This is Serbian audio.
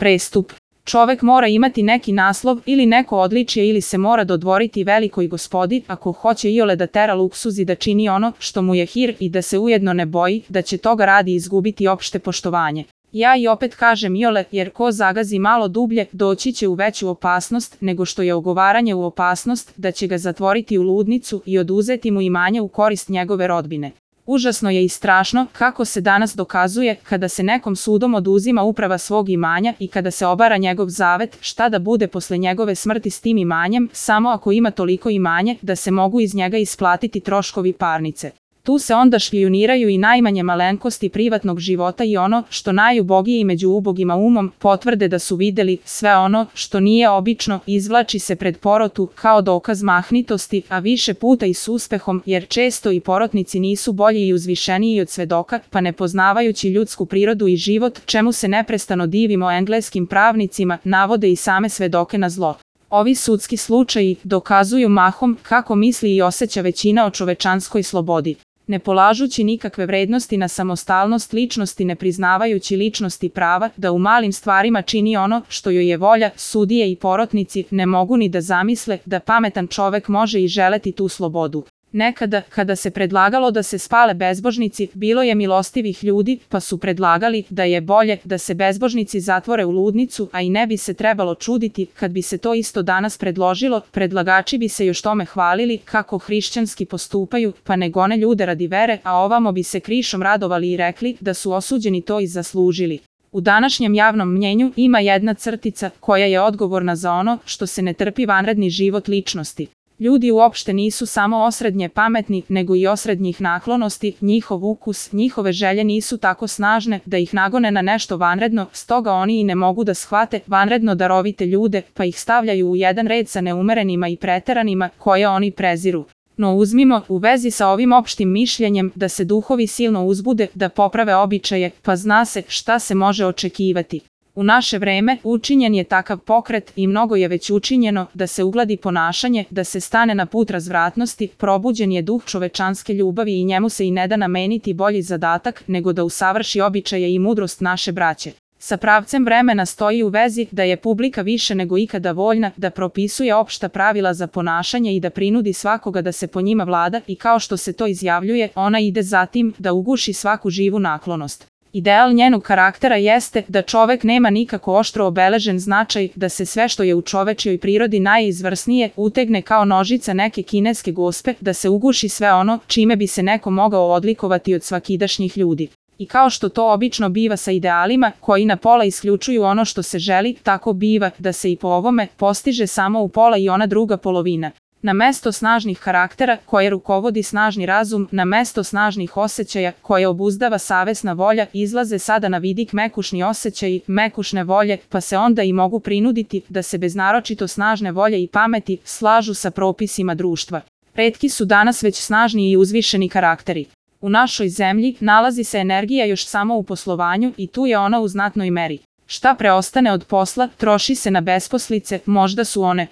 Prestup. Čovek mora imati neki naslov ili neko odličje ili se mora dodvoriti velikoj gospodi ako hoće iole da tera luksuz i da čini ono što mu je hir i da se ujedno ne boji da će toga radi izgubiti opšte poštovanje. Ja i opet kažem iole, jer ko zagazi malo dublje doći će u veću opasnost nego što je ogovaranje u opasnost da će ga zatvoriti u ludnicu i oduzeti mu imanje u korist njegove rodbine. Užasno je i strašno kako se danas dokazuje kada se nekom sudom oduzima uprava svog imanja i kada se obara njegov zavet šta da bude posle njegove smrti s tim imanjem samo ako ima toliko imanje da se mogu iz njega isplatiti troškovi parnice. Tu se onda špijuniraju i najmanje malenkosti privatnog života i ono što najubogiji među ubogima umom potvrde da su videli, sve ono što nije obično izvlači se pred porotu kao dokaz mahnitosti, a više puta i s uspehom, jer često i porotnici nisu bolji i uzvišeniji od svedoka, pa ne poznavajući ljudsku prirodu i život, čemu se neprestano divimo engleskim pravnicima, navode i same svedoke na zlo. Ovi sudski slučaji dokazuju mahom kako misli i osjeća većina o čovečanskoj slobodi. Ne polažući nikakve vrednosti na samostalnost ličnosti, ne priznavajući ličnosti prava da u malim stvarima čini ono što joj je volja, sudije i porotnici ne mogu ni da zamisle da pametan čovek može i želeti tu slobodu. Nekada, kada se predlagalo da se spale bezbožnici, bilo je milostivih ljudi, pa su predlagali da je bolje da se bezbožnici zatvore u ludnicu, a i ne bi se trebalo čuditi kad bi se to isto danas predložilo, predlagači bi se još tome hvalili kako hrišćanski postupaju, pa ne gone ljude radi vere, a ovamo bi se krišom radovali i rekli da su osuđeni to i zaslužili. U današnjem javnom mnjenju ima jedna crtica koja je odgovorna za ono što se ne trpi vanredni život ličnosti. Ljudi uopšte nisu samo osrednje pametni, nego i osrednjih naklonosti, njihov ukus, njihove želje nisu tako snažne da ih nagone na nešto vanredno, stoga oni i ne mogu da shvate vanredno darovite ljude, pa ih stavljaju u jedan red sa neumerenima i preteranima koje oni preziru. No uzmimo u vezi sa ovim opštim mišljenjem da se duhovi silno uzbude da poprave običaje, pa zna se šta se može očekivati. U naše vreme učinjen je takav pokret i mnogo je već učinjeno da se ugladi ponašanje, da se stane na put razvratnosti, probuđen je duh čovečanske ljubavi i njemu se i ne da nameniti bolji zadatak nego da usavrši običaje i mudrost naše braće. Sa pravcem vremena stoji u vezi da je publika više nego ikada voljna da propisuje opšta pravila za ponašanje i da prinudi svakoga da se po njima vlada i kao što se to izjavljuje, ona ide za tim da uguši svaku živu naklonost. Ideal njenog karaktera jeste da čovek nema nikako oštro obeležen značaj, da se sve što je u čovečjoj prirodi najizvrsnije utegne kao nožica neke kineske gospe, da se uguši sve ono čime bi se neko mogao odlikovati od svakidašnjih ljudi. I kao što to obično biva sa idealima koji na pola isključuju ono što se želi, tako biva da se i po ovome postiže samo u pola i ona druga polovina. Na mesto snažnih karaktera koje rukovodi snažni razum, na mesto snažnih osjećaja koje obuzdava savesna volja, izlaze sada na vidik mekušni osjećaji, mekušne volje, pa se onda i mogu prinuditi da se bez naročito snažne volje i pameti slažu sa propisima društva. Retki su danas već snažni i uzvišeni karakteri. U našoj zemlji nalazi se energija još samo u poslovanju i tu je ona u znatnoj meri. Šta preostane od posla, troši se na besposlice, možda su one